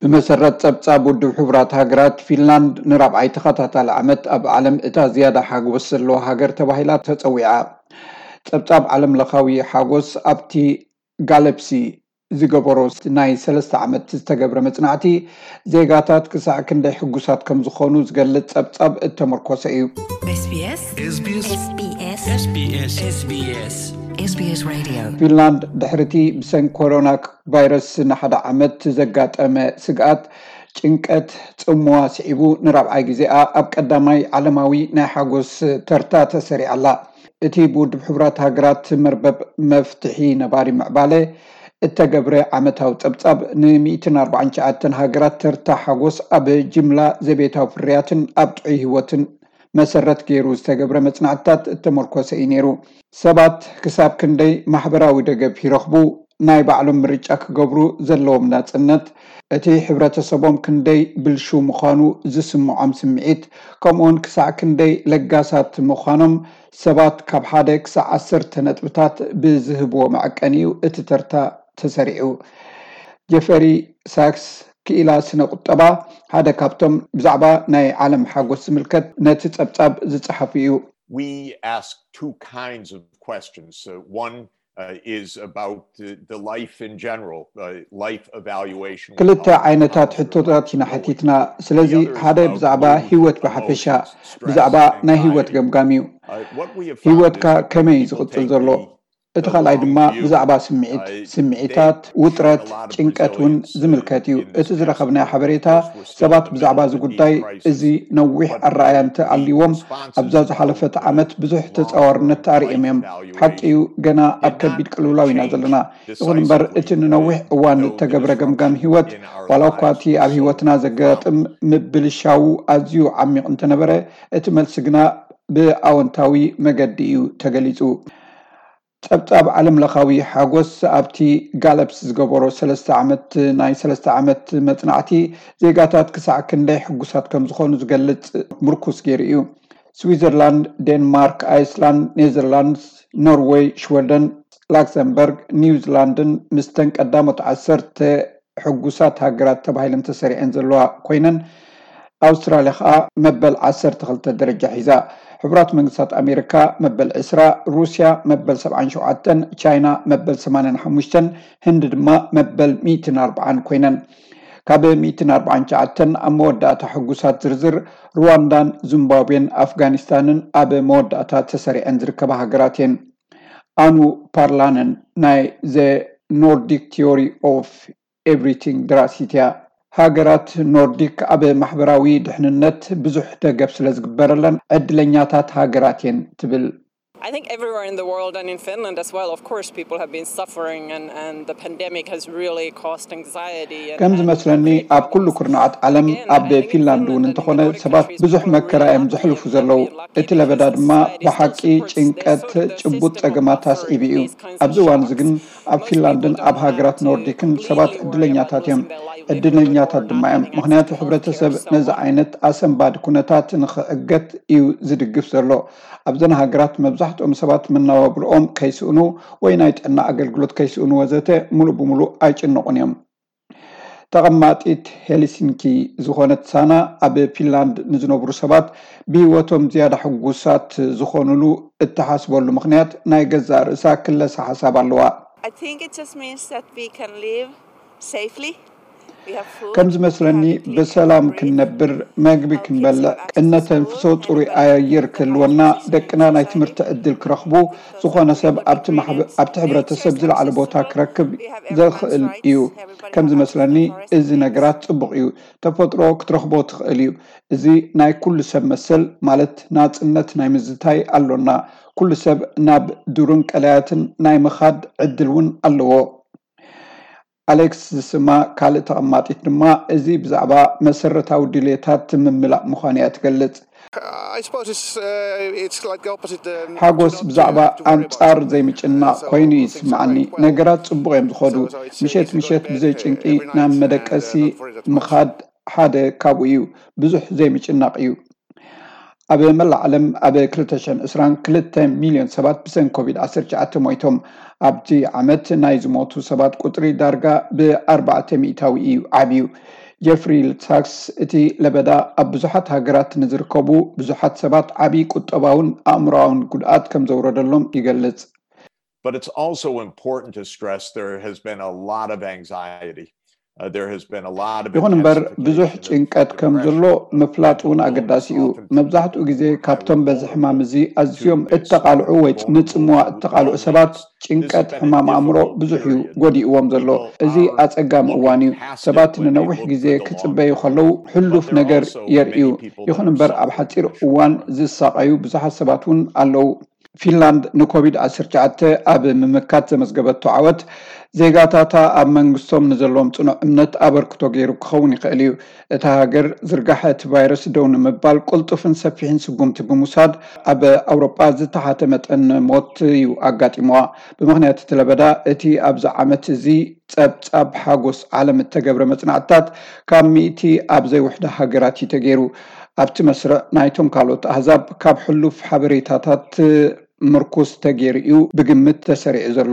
ብመሰረት ጸብጻብ ውድብ ሕቡራት ሃገራት፣ ፊንላንድ ንራብዓይ ተኸታታሊ ዓመት ኣብ ዓለም እታ ዝያዳ ሓጎስ ዘለዋ ሃገር ተባሂላ ተጸዊዓ። ጸብጻብ ዓለም ለኻዊ ሓጎስ ኣብቲ ጋለፕሲ ዝገበሮ ናይ ሰለስተ ዓመት ዝተገብረ መጽናዕቲ፣ ዜጋታት ክሳዕ ክንደይ ሕጉሳት ከም ዝኾኑ ዝገልጽ ጸብጻብ እተመርኮሰ እዩ። SBS SBS SBS SBS SBS SBS Radio ፊንላንድ ድሕሪቲ ብሰንኪ ኮሮና ቫይረስ ንሓደ ዓመት ዘጋጠመ ስግኣት፣ ጭንቀት፣ ጽምዋ ስዒቡ ንራብዓይ ግዜኣ ኣብ ቀዳማይ ዓለማዊ ናይ ሓጎስ ተርታ ተሰሪዓ ኣላ። እቲ ብውድብ ሕቡራት ሃገራት መርበብ መፍትሒ ነባሪ ምዕባለ እተገብረ ዓመታዊ ጸብጻብ፣ ን ሚእትን ኣርባዓን ትሽዓተን ሃገራት ተርታ ሓጎስ ኣብ ጅምላ ዘቤታዊ ፍርያትን ኣብ ጥዑይ ህይወትን መሰረት ገይሩ ዝተገብረ መጽናዕትታት እተመርኮሰ እዩ ነይሩ። ሰባት ክሳብ ክንደይ ማሕበራዊ ደገፍ ይረኽቡ፣ ናይ ባዕሎም ምርጫ ክገብሩ ዘለዎም ናጽነት፣ እቲ ሕብረተሰቦም ክንደይ ብልሹ ምዃኑ ዝስምዖም ስምዒት፣ ከምኡውን ክሳዕ ክንደይ ለጋሳት ምዃኖም ሰባት ካብ ሓደ ክሳዕ ዓሰርተ ነጥብታት ብዝህብዎ መዐቀኒ እዩ እቲ ተርታ ተሰሪዑ። ጀፈሪ ሳክስ፣ ክኢላ ስነ ቁጠባ፣ ሓደ ካብቶም ብዛዕባ ናይ ዓለም ሓጎስ ዝምልከት ነቲ ጸብጻብ ዝጸሓፉ እዩ። We ask two kinds of questions. Uh, one uh, is about the, the life in general, uh, life evaluation. ክልተ ዓይነታት ሕቶታት ኢና ሓቲትና። ስለዚ ሓደ ብዛዕባ ህይወት ብሓፈሻ፣ ብዛዕባ ናይ ህይወት ገምጋም እዩ። ህይወትካ ከመይ እዩ ዝቕጽል ዘሎ? እቲ ካልኣይ ድማ ብዛዕባ ስምዒት፣ ስምዒታት፣ ውጥረት፣ ጭንቀት እውን ዝምልከት እዩ። እቲ ዝረኸብናዮ ሓበሬታ፣ ሰባት ብዛዕባ እዚ ጉዳይ እዚ ነዊሕ ኣረኣእያ እንተኣልይዎም፣ ኣብዛ ዝሓለፈት ዓመት ብዙሕ ተጻዋርነት ኣርእዮም እዮም። ሓቂ እዩ፣ ገና ኣብ ከቢድ ቅልውላው ኢና ዘለና። ይኹን እምበር፣ እቲ ንነዊሕ እዋን እተገብረ ገምጋም ህይወት፣ ዋላ እኳ እቲ ኣብ ህይወትና ዘጋጥም ምብልሻው ኣዝዩ ዓሚቕ እንተነበረ፣ እቲ መልሲ ግና ብኣወንታዊ መገዲ እዩ ተገሊጹ። ጸብጻብ ዓለም ለኻዊ ሓጎስ ኣብቲ ጋለፕስ ዝገበሮ ሰለስተ ዓመት፣ ናይ ሰለስተ ዓመት መጽናዕቲ፣ ዜጋታት ክሳዕ ክንደይ ሕጉሳት ከም ዝኾኑ ዝገልጽ ምርኩስ ገይሩ እዩ። ስዊዘርላንድ፣ ዴንማርክ፣ ኣይስላንድ፣ ኔዘርላንድስ፣ ኖርወይ፣ ሽወደን፣ ላክሰምበርግ፣ ኒውዚላንድን ምስተን ቀዳሞት ዓሰርተ ሕጉሳት ሃገራት ተባሂለን ተሰሪዐን ዘለዋ ኮይነን፣ ኣውስትራልያ ከኣ መበል ዓሰርተ ክልተ ደረጃ ሒዛ። ሕቡራት መንግስታት ኣሜሪካ መበል ዕስራ፣ ሩስያ መበል ሰብዓን ሸውዓተን፣ ቻይና መበል ሰማንያን ሓሙሽተን፣ ህንዲ ድማ መበል ሚእትን ኣርባዓን ኮይነን። ካብ ሚእትን ኣርባዓን ትሽዓተን ኣብ መወዳእታ ሕጉሳት ዝርዝር ሩዋንዳን ዚምባብዌን ኣፍጋኒስታንን ኣብ መወዳእታ ተሰሪዐን ዝርከባ ሃገራት እየን። ኣኑ ፓርላነን ናይ The Nordic Theory of Everything ደራሲት እያ። ሃገራት ኖርዲክ ኣብ ማሕበራዊ ድሕንነት ብዙሕ ደገፍ ስለ ዝግበረለን ዕድለኛታት ሃገራት እየን ትብል። I think everywhere in the world and in Finland as well, of course, people have been suffering and, and the pandemic has really caused anxiety. And, ከም ዝመስለኒ ኣብ ኩሉ ኩርናዓት ዓለም ኣብ ፊንላንድ እውን እንተኾነ ሰባት ብዙሕ መከራ እዮም ዘሕልፉ ዘለዉ። እቲ ለበዳ ድማ ብሓቂ ጭንቀት ጭቡጥ ጸገማት ኣስዒቡ እዩ። ኣብዚ እዋን እዚ ግን ኣብ ፊንላንድን ኣብ ሃገራት ኖርዲክን ሰባት ዕድለኛታት እዮም። ዕድለኛታት ድማ እዮም፣ ምኽንያቱ ሕብረተሰብ ነዚ ዓይነት ኣሰንባዲ ኩነታት ንኽዕገት እዩ ዝድግፍ ዘሎ። ኣብዘን ሃገራት መብዛሕትኦም ሰባት መናባብርኦም ከይስእኑ ወይ ናይ ጥዕና ኣገልግሎት ከይስእኑ ወዘተ ሙሉእ ብሙሉእ ኣይጭነቑን እዮም። ተቐማጢት ሄልሲንኪ ዝኾነት ሳና፣ ኣብ ፊንላንድ ንዝነብሩ ሰባት ብህይወቶም ዝያዳ ሕጉሳት ዝኾኑሉ እትሓስበሉ ምኽንያት ናይ ገዛእ ርእሳ ክለሳ ሓሳብ ኣለዋ። I think it just means that we can live safely. We have food, ከም ዝመስለኒ we have a clean ብሰላም air to breathe. ክንነብር፣ መግቢ ክንበልዕ፣ እነተንፍሶ ጽሩይ ኣየር ክህልወና፣ ደቅና ናይ ትምህርቲ ዕድል ክረኽቡ፣ ዝኾነ ሰብ ኣብቲ ማሕበ- ኣብቲ ሕብረተሰብ ዝለዓለ ቦታ ክረክብ ዘኽእል እዩ። ከም ዝመስለኒ እዚ ነገራት ጽቡቕ እዩ። ተፈጥሮ ክትረኽቦ ትኽእል እዩ። እዚ ናይ ኩሉ ሰብ መሰል ማለት ናጽነት ናይ ምዝታይ ኣሎና። ኩሉ ሰብ ናብ ዱርን ቀላያትን ናይ ምኻድ ዕድል እውን ኣለዎ። ኣሌክስ ዝስማ ካልእ ተቐማጢት ድማ እዚ ብዛዕባ መሰረታዊ ድሌታት ምምላእ ምዃኑ እያ ትገልጽ። I suppose it's, uh, it's like the opposite. Um, ሓጎስ to not ብዛዕባ to, to worry about ኣንጻር something. ዘይምጭናቕ Uh, so ኮይኑ እዩ things are ዝስምዓኒ። going quite well. ነገራት ጽቡቕ እዮም ዝኾኑ። So, so it's ምሸት easy to go ምሸት to bed, ብዘይ uh, ጭንቂ every night ናብ and, uh, መደቀሲ not worry that much. ምኻድ ሓደ ካብኡ እዩ። ብዙሕ ዘይምጭናቕ እዩ። ኣብ መላእ ዓለም ኣብ ክልተ ሽሕን ዕስራን ክልተ ሚልዮን ሰባት ብሰንኪ ኮቪድ ዓሰርተ ትሽዓተ ሞይቶም። ኣብቲ ዓመት ናይ ዝሞቱ ሰባት ቁጽሪ ዳርጋ ብኣርባዕተ ሚእታዊ እዩ ዓብዩ። ጀፍሪ ሳክስ፣ እቲ ለበዳ ኣብ ብዙሓት ሃገራት ንዝርከቡ ብዙሓት ሰባት ዓቢ ቁጠባውን ኣእምሮኣውን ጉድኣት ከም ዘውረደሎም ይገልጽ። But it's also important to stress there has been a lot of anxiety. Uh, there has been a lot of ይኹን እምበር ብዙሕ intensification of ጭንቀት ከም depression, ዘሎ of ምፍላጥ እውን mental ኣገዳሲ illness, እዩ። oftentimes መብዛሕትኡ ግዜ I ካብቶም would በዚ ሕማም እዚ ኣዝዮም to this እተቓልዑ ወይ vulnerable ንጽምዋ loneliness. እተቓልዑ ሰባት This has ጭንቀት been a ሕማም difficult ኣእምሮ ብዙሕ እዩ period. ጎዲእዎም ዘሎ። People እዚ are ኣጸጋሚ looking እዋን እዩ። past it ሰባት when they ንነዊሕ look ግዜ the long ክጽበዩ term. ከለዉ ሕሉፍ But there are ነገር also የርእዩ። many people that ይኹን are እምበር ኣብ suffering ሓጺር in the short እዋን term. ዝሳቐዩ ብዙሓት ሰባት እውን ኣለዉ። ፊንላንድ ንኮቪድ ዓሰርተ ትሽዓተ ኣብ ምምካት ዘመዝገበቶ ዓወት ዜጋታታ ኣብ መንግስቶም ንዘለዎም ጽኑዕ እምነት ኣበርክቶ ገይሩ ክኸውን ይኽእል እዩ። እታ ሃገር ዝርጋሐ እቲ ቫይረስ ደው ንምባል ቅልጡፍን ሰፊሕን ስጉምቲ ብምውሳድ ኣብ ኣውሮጳ ዝተሓተ መጠን ሞት እዩ ኣጋጢምዋ። ብምኽንያት እቲ ለበዳ እቲ ኣብዚ ዓመት እዚ ጸብጻብ ሓጎስ ዓለም እተገብረ መጽናዕትታት ካብ ሚእቲ ኣብ ዘይውሕዳ ሃገራት እዩ ተገይሩ። ኣብቲ መስርዕ ናይቶም ካልኦት ኣህዛብ ካብ ሕሉፍ ሓበሬታታት ምርኩስ ተገይሩ እዩ ብግምት ተሰሪዑ ዘሎ።